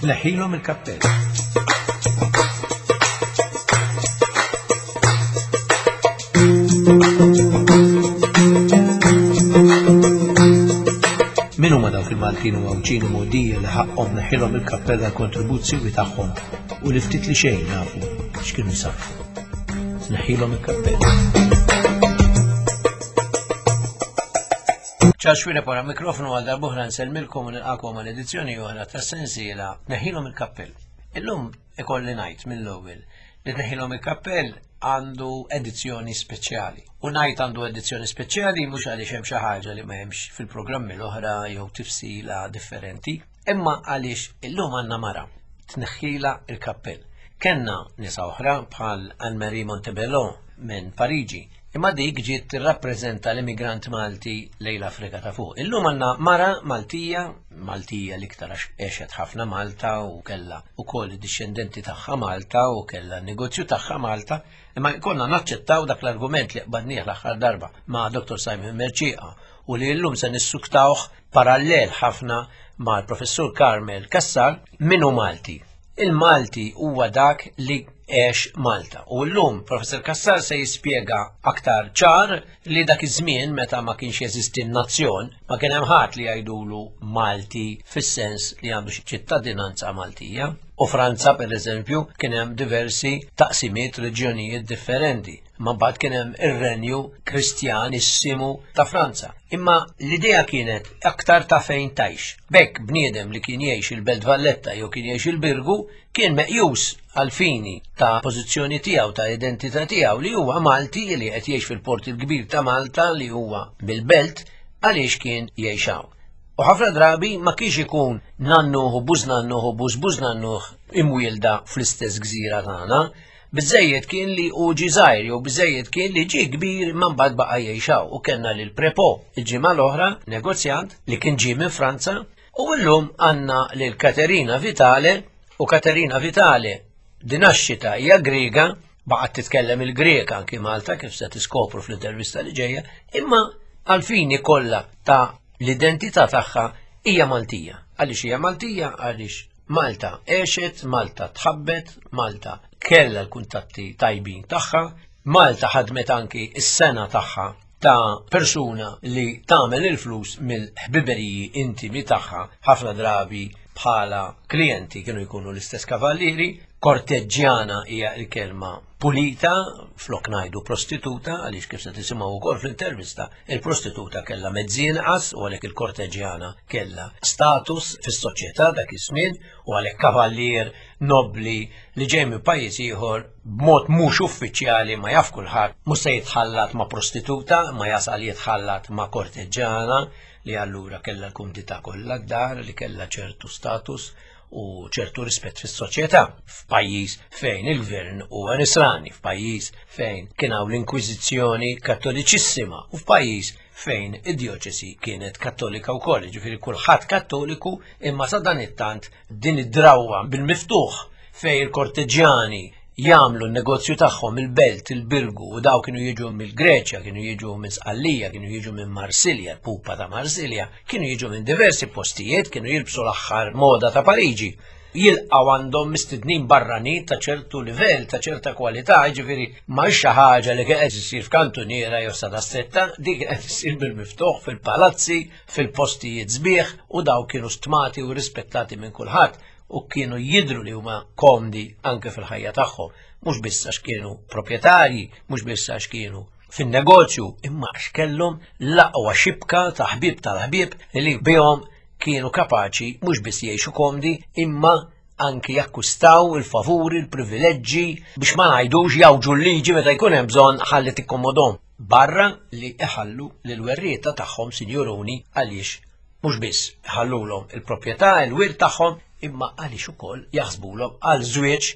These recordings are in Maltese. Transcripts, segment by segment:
Tneħħilhom il-kappell. Min huma dawk il-Maltin u Għawdxin u Mogħdija li ħaqqhom neħħilhom il-kappell għall-kontribuzzjoni tagħhom u li ftit li xejn nafu x'kienu jsarfu. Tneħħilhom il-kappell. Charles Xuereb wara mikrofonu għal darb'oħra nsellmilkom u nilqakom għal edizzjoni oħra tas-sensiela Tneħħilhom il-kappell. Illum ikolli ngħid mill-ewwel li tneħħilhom il-kappell għandu edizzjoni speċjali. U ngħid għandu edizzjoni speċjali mhux għaliex hemm xi ħaġa li ma hemmx fil-programmi l-oħra jew tifsila differenti, imma għaliex illum għandna mara tneħħila il-kappell. Kenna nisa oħra bħal Anne-Marie Montebello minn Pariġi, imma dik ġiet tirrappreżenta l-immigrant Malti lejn l-Afrika ta' fuq. Illum għandna mara Maltija, Maltija l-iktar għax għexet ħafna Malta u kellha ukoll id-dixxendenti tagħha Malta u kellha n-negozju tagħha Malta, imma jkollna naċċettaw dak l-argument li qbadnieh l-aħħar darba ma' Dr. Simon Mercieca u li llum se nissuktawh parallel ħafna mal-Professur Carmel Cassar min hu Malti. Il-Malti huwa dak li għex Malta. U llum Professor Cassar se jispjega aktar ċar li dak iż-żmien meta ma kienx jeżisti n-nazzjon, ma kien hemm ħadd li jgħidulu Malti fis-sens li għandu xi ċittadinanza Maltija. U Franza, per eżempju, kien hemm diversi taqsimiet reġjonijiet differenti. Ma mbagħad kien hemm ir-renju Kristjanissimu ta' Franza. Imma l-idea kienet aktar ta' fejn tgħix. B'hekk bniedem li kien jgħix il-Belt Valletta jew kien jgħix il-Birgu kien meqjus għall-fini ta' pożizzjoni tiegħu, ta' identità tiegħu li huwa Malti li qed jgħix fil-Port il-Kbir ta' Malta li huwa mill-Belt għaliex kien jgħix hawn. U ħafna drabi ma kienx ikun nannuh u bużnannuh u bużbużnannuh imwielda fl-istess gżira tagħna. Biżżejjed kien li hu ġie żgħir jew biżżejjed kien li ġie kbir imma mbagħad baqa' jgħix hawn u kellna lil Prepo il-ġimgħa l-oħra, negozjant li kien ġie minn Franza U llum għandna lil Katerina Vitale u Katerina Vitale di naxxita hija Griega, baqgħet titkellem il-Grieg anki Malta kif se tiskopru fl-intervista li ġejja, imma għalfini kollha ta' l-identità tagħha hija Maltija. Għaliex hija Maltija? Għaliex Malta għexet, Malta tħabbet, Malta kellha l-kuntatti tajbin tagħha, Malta ħadmet anki s-sena tagħha ta' persuna li tagħmel il-flus mill-ħbiberiji intimi tagħha ħafna drabi bħala klijenti kienu jkunu l-istess kavallieri, korteġġjana hija l-kelma pulita, flok ngħidu prostituta, għaliex kif se tisimgħu wkoll fl-intervista, il-prostituta kellha mezzi inqas u għalhekk il-korteġġjana kellha status fis-soċjetà dak iż-żmien u għalhekk kavallier nobbli li ġej minn pajjiż ieħor b'mod mhux uffiċjali ma jaf kulħadd mhux se jitħallat ma' prostituta ma jasal jitħallat ma' korteġġana li allura kellha l-kumdità kollha d-dar li kellha ċertu status u ċertu rispett fis-soċjetà f'pajjiż fejn il-gvern huwa nisrani, f'pajjiż fejn kien hawn l-inkwiżizzjoni kattoliċissima u f'pajjiż fejn id-djoċesi kienet kattolika wkoll, jiġifieri kulħadd kattoliku imma sadanittant din id-drawwa bil-miftuħ fejn il-korteġjani jagħmlu n-negozju tagħhom il-belt, il-birgu u daw kienu jiġu mill-Greċja, kienu jiġu minn Sqallija, kienu jiġu minn Marsilja, l-pupa ta' Marsilja, kienu jiġu minn diversi postijiet, kienu jilbsu l-aħħar moda ta' Pariġi. Jilqgħu għandhom mistednin barranin ta' ċertu livell, ta' ċerta kwalità, jiġifieri ma xi ħaġa li kienet issir f'kantuniera jew sada stretta, dik qed issir bil-miftuħ fil-palazzi, fil-postijiet sbieħ u daw kienu stmati u rispettati minn kulħadd u kienu jidru li huma komdi anke fil-ħajja tagħhom, mhux biss għax kienu proprjetarji, mhux biss għax kienu fin-negozju, imma għax kellhom l-aqwa xibka ta' ħbieb tal-ħbieb li bihom kienu kapaċi mhux biss jgħixu komdi, imma anki jakkwistaw il-favuri, il-privileġġi biex ma ngħidux jawġu l-liġi meta jkun hemm bżonn ħalli tikkomodhom. Barra li iħallu lill-werrieta tagħhom sinjuruni għaliex mhux biss iħallulhom il-proprjetà, il-wirt tagħhom, imma għaliex ukoll jaħsbulhom għal żwieġ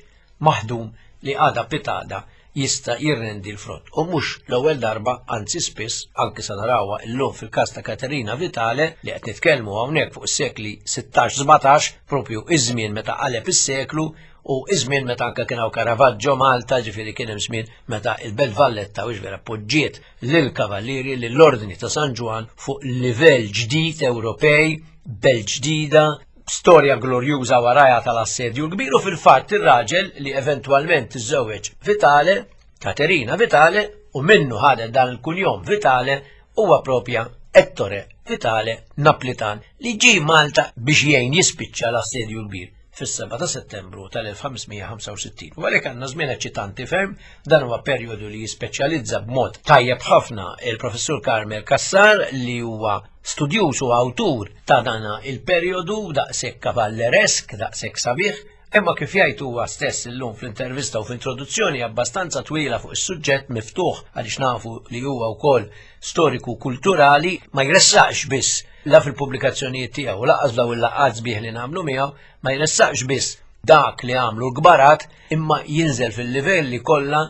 maħdum li għada pitgħada jista' jirrendi l-frott. U mhux l-ewwel darba, anzi spiss, anki sa narawha llum fil-każ ta' Katerina Vitale li qed nitkellmu hawnhekk fuq is-sekli 16-17, propju iż-żmien meta qaleb is-seklu u iż-żmien meta anke kien hawn Caravaggio Malta, ġifieri kien hemm żmien meta il-Belt Valletta u vera poġġiet lill-Kavallieri lill-Ordni ta' San Ġwann fuq livell ġdid Ewropej, belt ġdida. Storja glorjuża warajha tal-Assedju l-Kbir u fil-fatt ir-raġel li eventwalment iżżewweġ Vitale, Katerina Vitale, u minnu ħadet dan il-kunjom Vitale, huwa propja Ettore Vitale Naplitan li ġie Malta biex jgħin jispiċċa l-Assedju l-Kbir fis-7 ta' Settembru tal-1565. U għalhekk għandna żmien eċċitanti ferm, dan huwa perjodu li jispeċjalizza b'mod tajjeb ħafna il-Professur Carmel Cassar li huwa studjuż u awtur ta' dana il-perjodu daqshekk kavalleresk, daqshekk sabiħ, imma kif jgħid huwa stess illum fl-intervista u fl-introduzzjoni abbastanza twila fuq is-suġġett miftuħ għaliex nafu li huwa wkoll storiku kulturali ma jressaqx biss la fil-pubblikazzjonijiet tiegħu u lanqas daw il-laqgħat sbieħ li nagħmlu miegħu ma jressaqx biss dak li għamlu l-kbarat imma jinżel fil-livelli kollha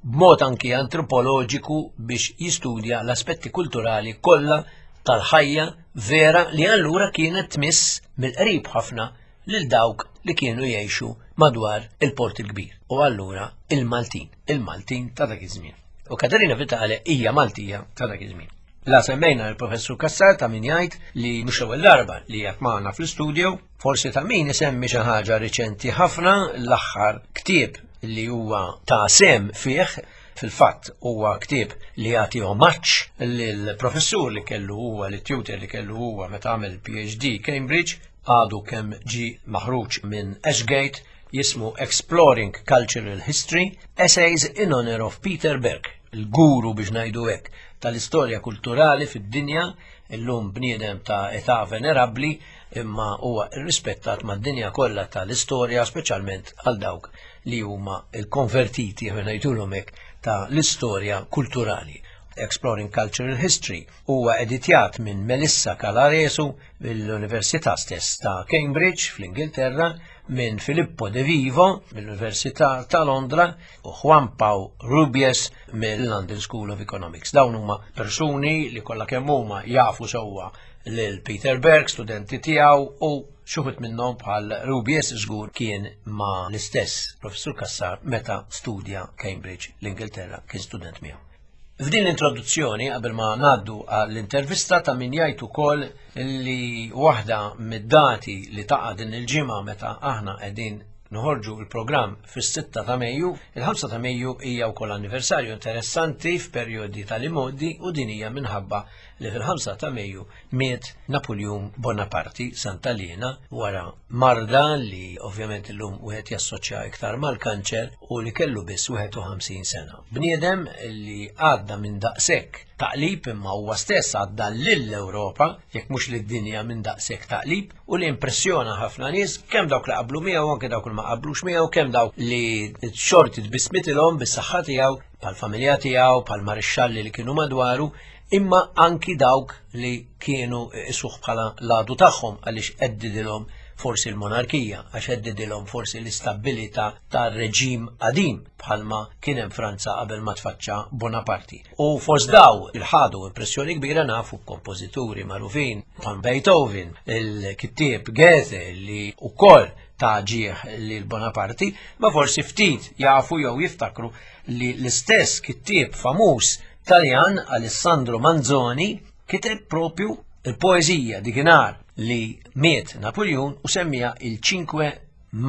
b'mod anki antropoloġiku biex jistudja l-aspetti kulturali kollha tal-ħajja vera li allura kienet tmiss mill-qrib ħafna lil dawk li kienu jgħixu madwar il-Port il-Kbir u allura il-Maltin, il-Maltin ta' dak iż-żmien. U Katerina Vitale hija Maltija ta' dak iż-żmien. La semmejna l-professur Cassar ta' min jgħid li mhux l-ewwel darba li jgħid magħna fl-istudio, forsi ta' min isemmi xi ħaġa riċenti ħafna l-aħħar ktieb li huwa ta' sem fih fil-fatt huwa ktieb li jagħti omaġġ lill-professur li kellu huwa li tutor li kellu huwa meta għamel PhD Cambridge għadu kemm ġi maħruġ minn Ashgate jismu Exploring Cultural History, Essays in Honor of Peter Berg, il-guru biex ngħidu hekk tal-istorja kulturali fid-dinja, illum bniedem ta' età venerabbli imma huwa rrispettat mad-dinja kollha tal-istorja, speċjalment għal dawk li huma l-konvertiti ngħidulhom hekk ta' l-istorja kulturali. Exploring Cultural History huwa editjat minn Melissa Calaresu mill-Università stess ta' Cambridge fl-Ingilterra, minn Filippo De Vivo mill-Università ta' Londra u Juan Pau Rubies mill-London School of Economics. Dawn huma persuni li kollha kemm huma jafu sewwa lil Peter Berg, studenti tiegħu u xuħut minnhom bħal Rubies żgur kien ma l-istess professur Cassar meta studja Cambridge l-Ingilterra kien student miegħu. F'din l-introduzzjoni, qabel ma ngħaddu għall-intervista ta' min jgħid ukoll li waħda mid-dati li taqa' din il-ġimgħa meta aħna qegħdin noħorġu il-programm fis-6 ta' Mejju, il-5 ta' Mejju hija wkoll anniversarju interessanti f'perjodi tal-imgħoddi u din hija minħabba li fil-5 ta' Mejju miet Napoleon Bonaparte Santa Liena wara marda li ovvjament illum wieħed jassoċja iktar mal-kanċer u li kellu biss 51 sena. Bniedem li għadda minn daqshekk taqlib imma huwa stess għadda lill-Ewropa, jekk mhux lid-dinja minn daqshekk taqlib u li impressjona ħafna nies, kemm dawk li qablu miegħu anke dawk li ma qablux miegħu, kemm dawk li xorti tbismitilhom bis-saħħa tiegħu, bħall-familja tiegħu, bħall-marixxalli li kienu madwaru, imma anki dawk li kienu isuh bħala l-għadu tagħhom għaliex għeddidilhom forsi l-monarkija, għax għeddidilhom forsi l-istabbilità tar-reġim qadim bħalma kien hemm Franza qabel ma tfaċċa Bonaparti. U fost daw il-ħadu impressjoni kbira nafu kompożituri magħrufin bħal Beethoven, il-kittieb Goethe li wkoll ta' ġieħ lil Bonaparti, ma forsi ftit jafu jew jiftakru li l-istess kittieb famuż Taljan Alessandro Manzoni kiteb propju il-poeżija dikinhar li miet Napoleon u semmija il-5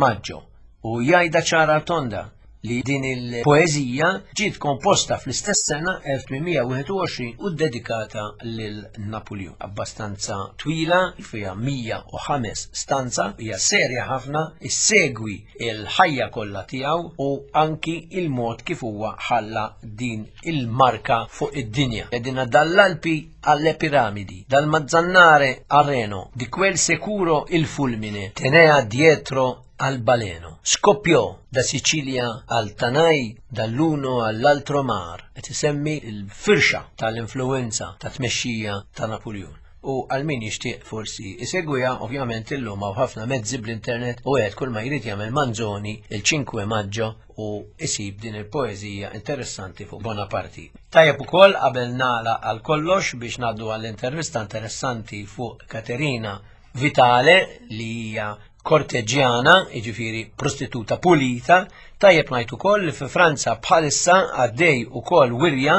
Maggio u jgħidha ċara tonda li din il-poeżija ġiet komposta fl-istess sena 1821 u dedikata lil Napoleon. Abbastanza twila, fiha 105 stanza, hija serja ħafna, issegwi il-ħajja kollha tiegħu u anki il-mod kif huwa ħalla din il-marka fuq id-dinja. Edina dall'Alpi alle piramidi, dal Mazzannare al Reno, di quel securo il fulmine, tenea dietro al baleno. Scoppiò da Sicilia al Tanai, dall'uno all'altro mar, qed isemmi l-firxa tal-influenza ta' tmexxija ta' Napuljun. U għal min jixtieq forsi isegwiha, ovvjament illum hawn ħafna mezzi bl-internet u wieħed kull ma jrid jagħmel Manzoni il-5 Maggio u isib din il-poeżija interessanti fuq Bonaparti. Tajjeb ukoll qabel nagħlaq għal kollox biex ngħaddu għall-intervista interessanti fuq Katerina Vitale li hija korteġjana, jiġifieri prostituta pulita, tajjeb ngħid ukoll li fi Franza bħalissa għaddej ukoll wirja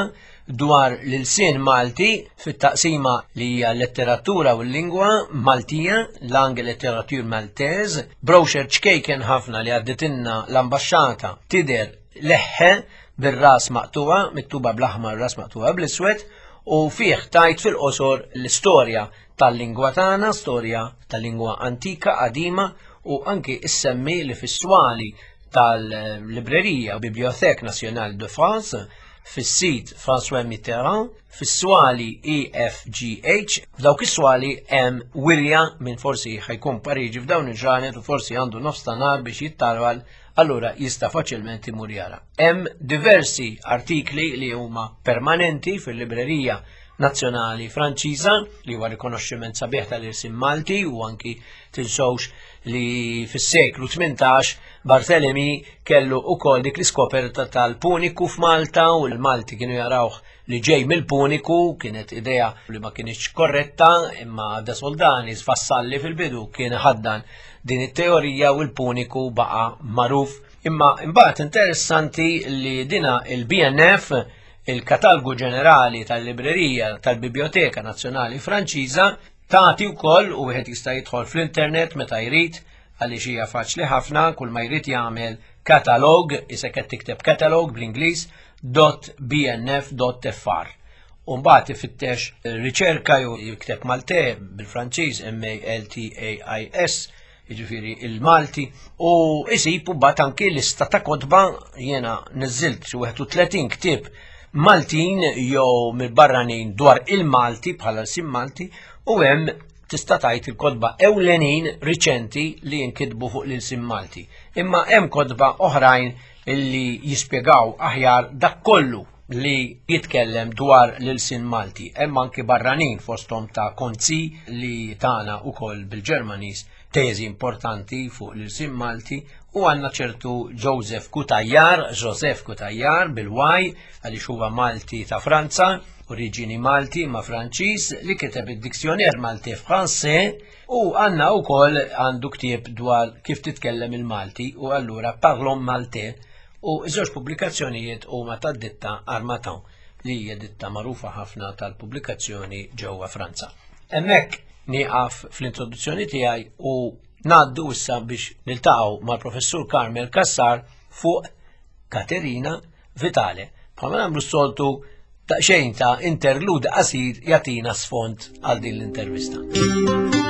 dwar l-ilsien Malti fit-taqsima li hija letteratura u l-lingwa Maltija, Langue Littérature Maltaise, brochure ċkejken ħafna li għadditilna l-ambaxxata tidher leħħe bir-ras maqtuwa, miktuba bl-aħmar ras maqtuwa bl-iswed, u fih tajt fil-qosor l-istorja tal-lingwa tagħna, storja tal-lingwa antika qadima u anki issemmi li fis-swali tal-librerija Bibliothèque Nationale de France fis-sit François Mitterrand, fis-swali EFGH, f'dawk is-swali hemm wirja minn forsi ħajkun Pariġi f'dawn il-ġranet u forsi għandu nofs ta' nar biex jittarwal, allura jista' faċilment imur jara. Hemm diversi artikli li huma permanenti fil-librerija Nazzjonali Franċiża li huwa rikonoxximent sabiħ tal-irsim Malti u anki tinsewx li fis-seklu 18 Barthelemy kellu ukoll dik l-iskoperta tal-Puniku f'Malta u l-Malti kienu jarawh li ġej mill-Puniku, kienet idea li ma kienx korretta imma De Soldani sfassalli fil-bidu kien ħaddan din it-teorija u l-Puniku baqa' magħruf. Imma imbagħad interessanti li dina il-BNF il-Katalgu Ġenerali tal-Librerija tal-Biblioteka Nazzjonali Franċiża tagħti wkoll u wieħed jista' jidħol fl-internet meta jrid għaliex hija faċli ħafna kull ma jrid jagħmel katalog, isek qed tikteb katalog bl-Ingliż .bnf.fr. U mbagħad ifittex riċerka jew jikteb Malte bil-Franċiż M A L T A I S jiġifieri il-Malti, u isib u bat anki lista ta' kotba jiena niżilt xi 31 ktieb Maltin jew mill-barranin dwar il-Malti bħala sim Malti u hemm tista' tgħid il-kotba ewlenin riċenti li jinkitbu fuq l-ilsim Malti. Imma hemm kotba oħrajn illi jispjegaw aħjar dak kollu li jitkellem dwar l-ilsien Malti. Hemm anki barranin fosthom ta' Konzi li tana ukoll bil-Ġermaniż teżi importanti fuq l-ilsien Malti u għandna ċertu Joseph Cutajar, Joseph Cutajar bil-Y għaliex huwa Malti ta' Franza, oriġini Malti ma' Franċiż li kiteb id-Dictionnaire Maltais Français u għandna wkoll għandu ktieb dwar kif titkellem il-Malti u allura Parlons Maltais U ż-żewġ pubblikazzjonijiet huma tad-ditta Harmattan, li hija ditta magħrufa ħafna tal-pubblikazzjoni ġewwa Franza. Hemmhekk nieqaf fl-introduzzjoni tiegħi u ngħaddu issa biex niltaqgħu mal-Professur Carmel Cassar fuq Katerina Vitale. Bħalma nagħmlu s-soltu daqsxejn ta' interlude qasir jagħtina sfond għal din l-intervista.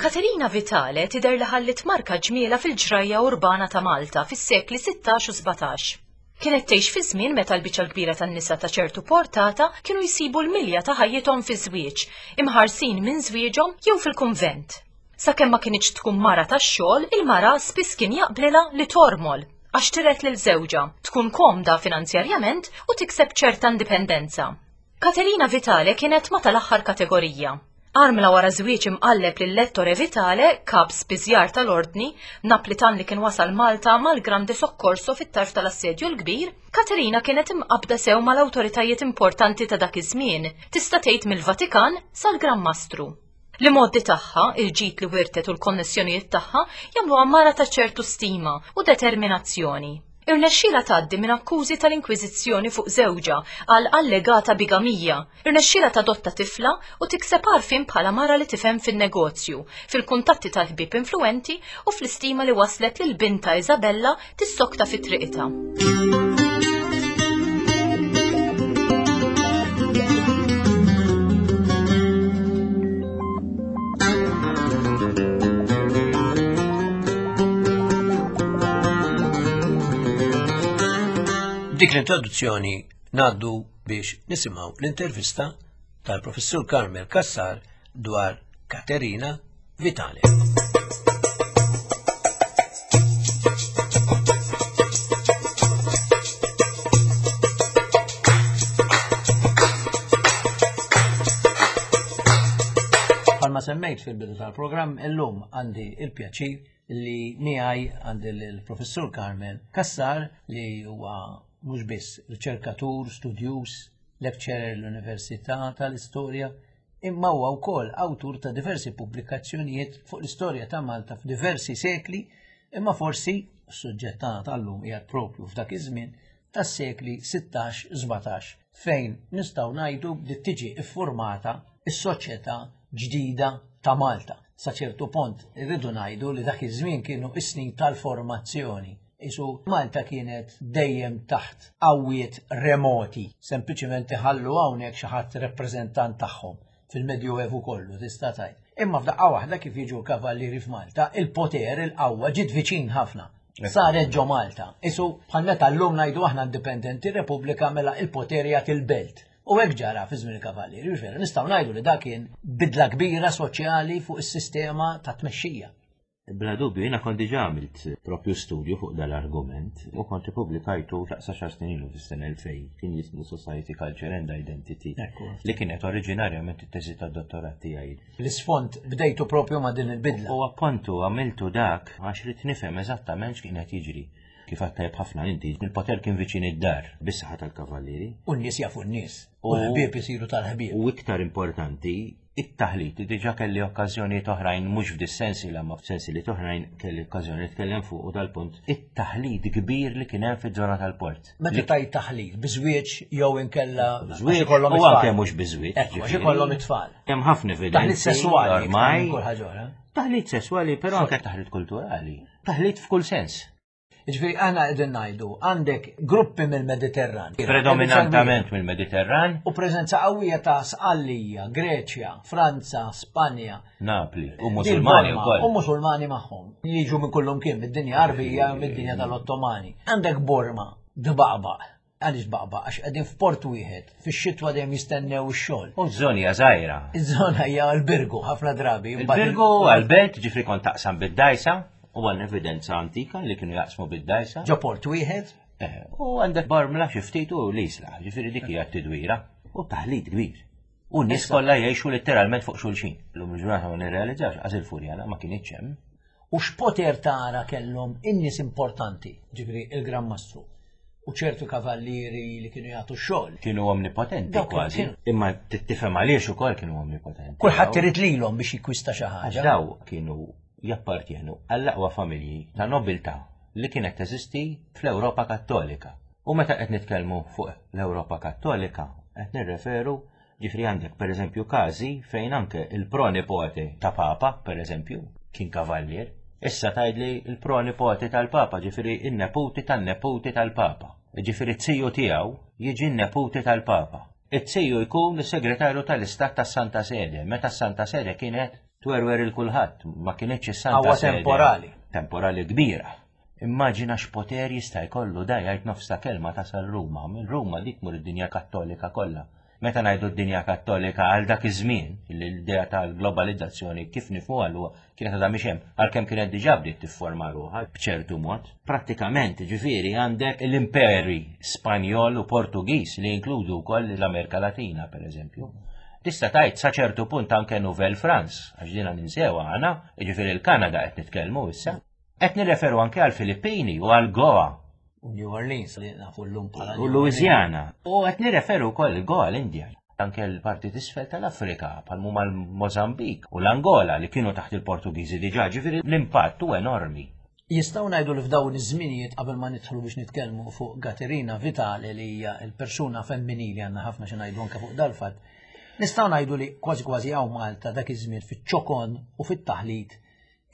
Katerina Vitale tidher li ħallit marka ġmiela fil-ġrajja urbana ta' Malta fis-sekli 16 u 17. Kienet tgħix fi żmien meta l-biċċa l-kbira tan-nisa ta' ċertu portata kienu jsibu l-milja ta' ħajjithom fiż-żwieġ, imħarsin minn żwieġhom jew fil-kunvent. Sakemm ma kinitx tkun mara tax-xogħol, il-mara spiss kien jaqblilha li tormol, għax tiret lil żewġha, tkun komda finanzjarjament u tikseb ċerta indipendenza. Caterina Vitale kienet ma' tal-aħħar kategorija. Armla wara żwieġ imqalleb lil Ettore Vitale, kap spiżjar tal-Ordni, Naplitan li kien wasal Malta mal-Grande Soccorso fit-tarf tal-Assedju l-Kbir, Caterina kienet imqabbda sew mal-awtoritajiet importanti ta' dak iż-żmien, tista' tgħid mill-Vatikan sal-Gran Mastru. L-imgħoddi tagħha, il-ġid li wirtet u l-konnessjonijiet tagħha jagħmluha mara ta' ċertu stima u determinazzjoni. Irnexxielha tgħaddi minn akkużi tal-Inkwiżizzjoni fuq żewġha għal allegata bigamija, irnexxielha tadotta tifla u tikseb għarfien bħala mara li tifhem fin-negozju, fil-kuntatti tal-ħbieb influwenti u fl-istima li wasslet lil bintha Isabella tissokta fi triqitha. Dik l-introduzzjoni ngħaddu biex nisimgħu l-intervista tal-Professur Carmel Cassar dwar Katerina Vitale. Palma semmejt fil-bidu tal-programm, illum għandi il-pjaċir li miegħi għandi l-Professur Carmel Cassar li huwa mhux biss riċerkatur, studjuż, lecturer l-Università tal-Istorja, imma huwa wkoll awtur ta' diversi pubblikazzjonijiet fuq l-istorja ta' Malta f'diversi sekli, imma forsi s-suġġett tagħna tal-lum qiegħed propju f'dak iż-żmien tas-sekli 16-17 fejn nistgħu ngħidu bdiet tiġi iffurmata s-soċjetà ġdida ta' Malta. Sa ċertu pont irridu ngħidu li dak iż-żmien kienu is-snin tal-formazzjoni. Isu Malta kienet dejjem taħt qawwiet remoti, sempliċiment iħallu hawnhekk xi ħadd rappreżentant tagħhom fil-Medjuevu kollu tista' tgħid. Imma f'daqqa waħda kif jiġu l-kavallieri f'Malta, il-poter, il-qawwa ġiet viċin ħafna. Saret ġo Malta. Isu bħal meta llum ngħidu aħna indipendenti Repubblika mela il-poter jagħti l-belt. U hekk ġara fi żmien il-kavallieri, vera, nistgħu ngħidu li dak kien bidla kbira soċjali fuq is-sistema ta' tmexxija. Bla dubju, jiena kont diġà għamilt propju studju fuq dal-argument u kont ippubblikajtu daqs għaxar snin ilu fis-sena 2000 kien jismu Society, Culture and Identity li kienet oriġinarjament it-teżi tad-dottorat tiegħi. L-isfond bdejtu propju ma' din il-bidla. U appuntu għamiltu dak għax ridt nifhem eżattament x'kien qed jiġri. Kif għedt tajjeb ħafna inti, il-poter kien viċin id-dar bis-saħħa tal-kavallieri. U n-nies jafu n-nies. U l-ħbieb isiru tal-ħbieb. U iktar importanti, It-taħlit, li diġà kelli okkażjonijiet oħrajn mhux f'dis-sensiela imma f'sensiliet oħrajn kelli okkażjoni nitkellem fuqu dal-punt, it-taħlit kbir li kien hemm fiż-żona tal-port. Meta tgħid taħlit, bi żwieġ jew inkella Żwieġ u anke mhux bi żwieġ. Ekku, għax ikollhom it-tfal. Hemm ħafna evidenzi. Taħlit sesswali. Ormai. Kull ħaġa oħra. Taħlit sesswali, però anke taħlit kulturali. Taħlit f'kull sens. Jiġifieri aħna qegħdin ngħidu għandek gruppi mill-Mediterran. Predominantament mill-Mediterran. U preżenza qawwija ta' Sqallija, Greċja, Franza, Spanja. Napli, u Musulmani wkoll. U Musulmani magħhom. Jiġu minn kullum kien mid-dinja Arbija, mid-dinja tal-Ottomani. Għandek Borma, dbaqbaq. Għaliex baqbaq? Għax qegħdin f'port wieħed, fix-xitwa dejjem jistennew ix-xogħol. U ż-żona hija żgħira. Iż-żona hija l-Birgu ħafna drabi. Il-Birgu għall-belt, ġifri kont taqsam bid-dajsa, u għandna evidenza antika li kienu jaqsmu bid-dajsa. Ġo port wieħed. Eh, u għandek Bormla xi ftit u l-Isla, ġifieri dik hija t-tidwira u taħlit kbir. U n-nies kollha jgħixu letteralment fuq xulxin. Illum il-ġurnata ma nirrealizzax għaż il-Furjana ma kinitx hemm. U x'poter tara kellhom in-nies importanti, ġifieri il-Gran Mastru u ċertu kavallieri li kienu jagħtu x-xogħol. Kienu omnipotenti kważi. Imma tifhem għaliex ukoll kienu omnipotenti. Kulħadd irid lilhom biex jikkwista xi ħaġa. Daw kienu jappartjenu għall-aqwa familji ta' nobiltà li kienet teżisti fl-Ewropa Kattolika. U meta qed nitkellmu fuq l-Ewropa Kattolika, qed nirreferu Ġifieri għandek pereżempju każi fejn anke il-pronipote ta' Papa, pereżempju, kien kavallier. Issa tgħidli l-pronipote tal-Papa, ġifieri n-neputi tan-neputi tal-Papa. Ġifieri t-ziju tiegħu jiġi n-neputi tal-Papa. It-ziju jkun is-Segretarju tal-Istat tas-Santa Sede, meta s-Santa Sede kienet twerwer il kulħadd, ma kinitx is-Santa Sede. temporali. Temporali kbira. Immaġina x'poter jista' jkollu da jgħid nofs ta' kelma tasal Ruma, minn Ruma dik tmur id-dinja Kattolika kollha. Meta ngħidu d-dinja Kattolika għal dak iż-żmien, li l-idea tal-globalizzazzjoni kif nifhmuha llum kienet għadha mhix hemm, għalkemm kienet diġà bdiet tifforma ruħha b'ċertu mod. Prattikament, ġifieri, għandek l-imperi Spanjol u Portugiż li jinkludu wkoll l-Amerika Latina, pereżempju. Tista' tgħid sa ċertu punt anke Nouvelle France, għax dina ninsewha aħna, jiġifieri l-Kanada qed nitkellmu issa. Qed nirreferu anke għal Filippini u għal Goa. U New Orleans li nafu llum bħala. U Louisiana. U qed nirreferu wkoll Goa l-Indja. Anke l-parti t'isfel tal-Afrika, bħal huma l-Mozambik u l-Angola li kienu taħt il-Portugiżi diġà, ġifieri l-impatt hu enormi. Jistgħu ngħidu li f'dawn iż-żminijiet qabel ma nidħlu biex nitkellmu fuq Gaterina Vitale li hija l-persuna femminili għandna ħafna xi ngħidu anke fuq dal-fatt. Nistgħu ngħidu li kważi kważi hawn Malta dak iż-żmien fiċ-ċokon u fit-taħlit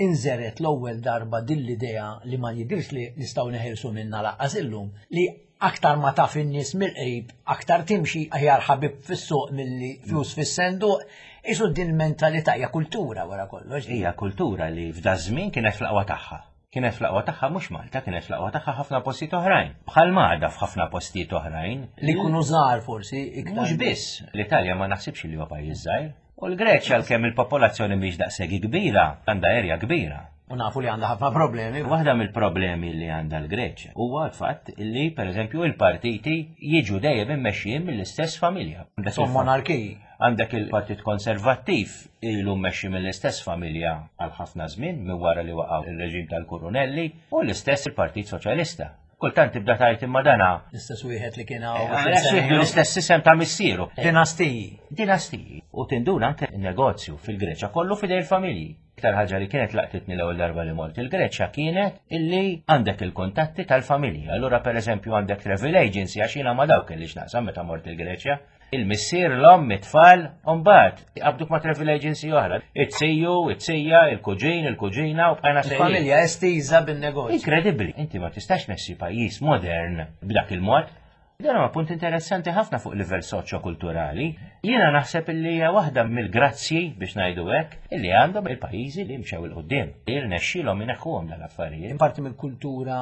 inżeret l-ewwel darba din l-idea li ma jidhirx li nistgħu neħilsu minnha lanqas illum, li aktar ma taf in-nies mill-qrib, aktar timxi aħjar ħabib fis-suq milli flus fis-senduq, qisu din il-mentalità hija kultura wara kollox. Hija kultura li f'daż-żmien kienet fl-aqwa tagħha. Kienet fl-aqwa tagħha mhux Malta, kienet fl-aqwa tagħha ħafna postijiet oħrajn. Bħal m'għadha f'ħafna postijiet oħrajn. Li jkunu żgħar forsi iktar. Mhux biss, l-Italja ma naħsibx li huwa pajjiż żgħir. U l-Greċja għalkemm il-popolazzjoni mhix daqshekk kbira, għandha erja kbira. U nafu li għandha ħafna problemi. Waħda mill-problemi li għandha l-Greċja huwa l-fatt li pereżempju il-partiti jiġu dejjem immexxijin mill-istess familja. Son monarkiji. Għandek il-Partit Konservattiv ilu mmexxi mill-istess familja għal ħafna żmien minn wara li waqgħu ir-reġim tal-Kurunelli u l-istess il-Partit Soċjalista. Kultant tibda tgħid imma dana. L-istess wieħed li kien hawn. Eh, l-istess isem ta' missieru. Dinastiji. Dinastiji. U tinduna anke negozju fil-Greċja kollu fidej il-familji. Iktar ħaġa li kienet laqtitni l-ewwel darba li mort il-Greċja kienet illi għandek il-kuntatti tal-familja. Allura pereżempju għandek travel agency għax jiena ma dawk kelli x'naqsam meta mort il-Greċja. Il-missier, l-omm, it-tfal, u mbagħad jqabduk ma' travel agency oħra. It-siju, it-sija, il-kuġin, il-kuġina u bqajna sejrin. Il-familja estiża bin-negozju. Inkredibbli, inti ma tistax tmexxi pajjiż modern b'dak il-mod. Dan huwa punt interessanti ħafna fuq livell soċjokulturali. Jiena naħseb illi hija waħda mill-grazzji biex ngħidu hekk illi għandhom il-pajjiżi li mxew 'il quddiem. Irnexxielhom ineħħuhom dal-affarijiet. Parti mill-kultura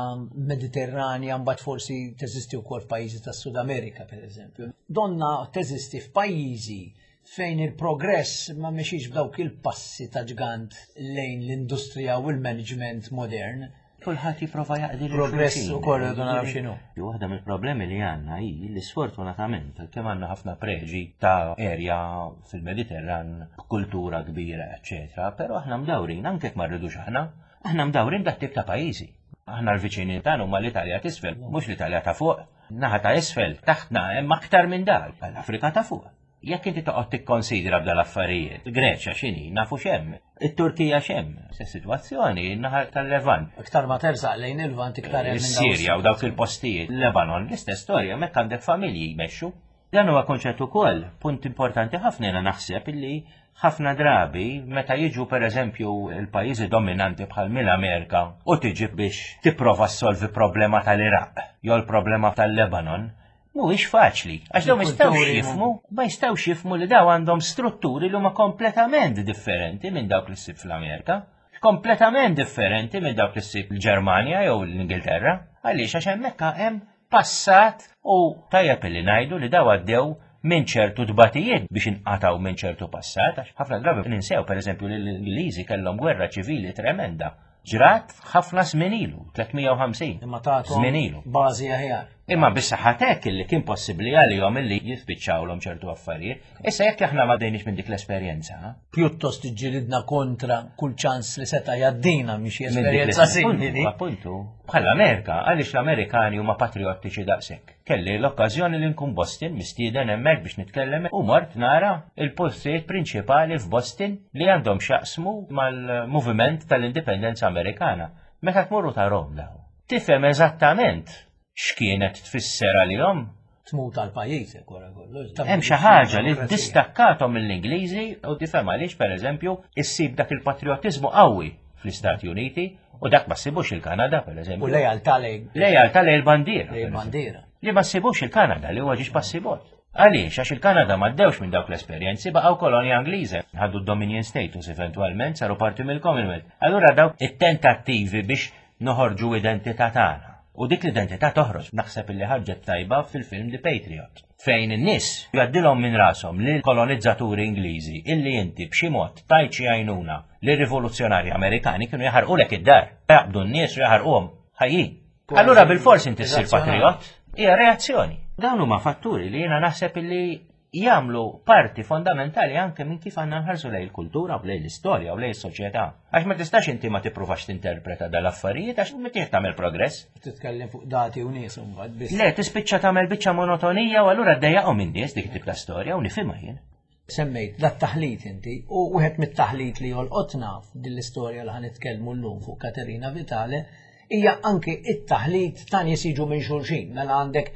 Mediterranja mbagħad forsi teżisti wkoll f'pajjiżi tas-Sud Amerika pereżempju. Donna teżisti f'pajjiżi fejn il-progress ma mexiex b'dawk il-passi ta' ġgant lejn l-industrija u l-management modern. Kulħadd jipprova jaqdi lil Progress ukoll irridu naraw x'inhu. Waħda mill-problemi li għandna hi li sfortunatament għalkemm għandna ħafna preġi ta' erja fil-Mediterran b'kultura kbira, eċċetera, però aħna mdawrin anke jekk ma rridux aħna, aħna mdawrin dat tip ta' pajjiżi. Aħna l-viċini tagħna huma l-Italja t'isfel, mhux l-Italja ta' fuq. Naħa ta' isfel taħtna hemm aktar minn dak, l-Afrika ta' fuq. Jekk inti toqgħod tikkonsidra b'dal-affarijiet, il-Greċja x'inhi, nafu x'hemm, it-Turkija x'hemm, se sitwazzjoni naħa tal-Levant. Iktar ma tersaq lejn il-Lvant iktar hemm. Is-Sirja u dawk il-postijiet, Lebanon, l-istess storja, hemmhekk għandek familji jmexxu. Dan huwa konċett ukoll, punt importanti ħafna jiena naħseb illi ħafna drabi meta jiġu pereżempju l-pajjiżi dominanti bħal mill-Amerika u tiġi biex tipprova ssolvi problema tal-Iraq jew l-problema tal-Lebanon, Mhuwiex faċli, għax dawn ma jistgħux jifhmu, ma jistgħux jifhmu li daw għandhom strutturi li huma kompletament differenti minn dawk li ssib fl-Amerika, kompletament differenti minn dawk li ssib l-Ġermanja jew l-Ingilterra. Għaliex għax hemmhekk hemm passat u tajjeb li ngħidu li daw għaddew minn ċertu tbatijiet biex inqatgħu minn ċertu passat, għax ħafna drabi ninsew pereżempju li l-Ingliżi kellhom gwerra ċivili tremenda Ġrat ħafna żmien ilu, 350. Imma tagħtu żmien ilu. Bażi aħjar. Imma bis-saħħa t'hekk illi kien possibbli għalihom illi jispiċċawlhom ċertu affarijiet. Issa jekk aħna ma dejniex minn dik l-esperjenza. Pjuttost iġġilidna kontra kull ċans li seta' jgħaddina minn xi esperjenza simili. Appuntu, bħall-Amerika, għaliex l-Amerikani huma patriottiċi daqshekk. Kelli l-okkażjoni li nkun Boston mistieden hemmhekk biex nitkellem u mort nara il-postijiet prinċipali f'Boston li għandhom x'jaqsmu mal-moviment tal-indipendenza Amerikana. Meta tmur u tarahom dawn, tifhem eżattament x'kienet tfisser għalihom. Tmut għal pajjiżek wara kollox. Hemm xi ħaġa li ddistakkathom mill-Ingliżi u tifhem għaliex pereżempju issib dak il-patrijotiżmu qawwi fl-Istati Uniti u dak ma ssibux il-Kanada, per eżempju. U lejaltà lej. Lejaltà lej il-bandiera. Lej il-bandiera. Li ma ssibux il-Kanada li huwa ġiex passibot. Għaliex, għax il-Kanada ma ddewx minn dawk l-esperjenzi baqgħu kolonja Ingliża, ħadu d-Dominion status eventwalment saru parti mill-Commonwealth. Allura dawk it-tentattivi biex noħorġu identità tagħna. U dik l-identità toħroġ, naħseb illi ħarġet tajba fil-film The Patriot, fejn in-nies jgħaddilhom minn rashom li l-kolonizzaturi Ingliżi illi inti b'xi mod tajt xi għajnuna lir-rivoluzzjonarji Amerikani kienu jaħarqulek id-dar, jaqbdu n-nies u jaħarquhom ħajjin. Allura bilfors inti ssir patriot, hija reazzjoni. Dawn huma fatturi li jiena naħseb illi jagħmlu parti fondamentali anke minn kif għandna nħarsu lejn il-kultura u lejn l-istorja u lejn is-soċjetà. Għax ma tistax inti ma tippruvax tinterpreta dal-affarijiet għax ma tieħ tagħmel progress. Titkellem fuq dati u nies imbagħad biss. Le, tispiċċa tagħmel biċċa monotonija u allura ddejjaqhom in-nies dik tip ta' storja u nifhimha jien. Semmejt dat taħlit inti u wieħed mit-taħlit li jolqotna f'din l-istorja li ħanitkellmu llum fuq Katerina Vitale hija anki it-taħlit ta' nies jiġu minn xulxin, mela għandek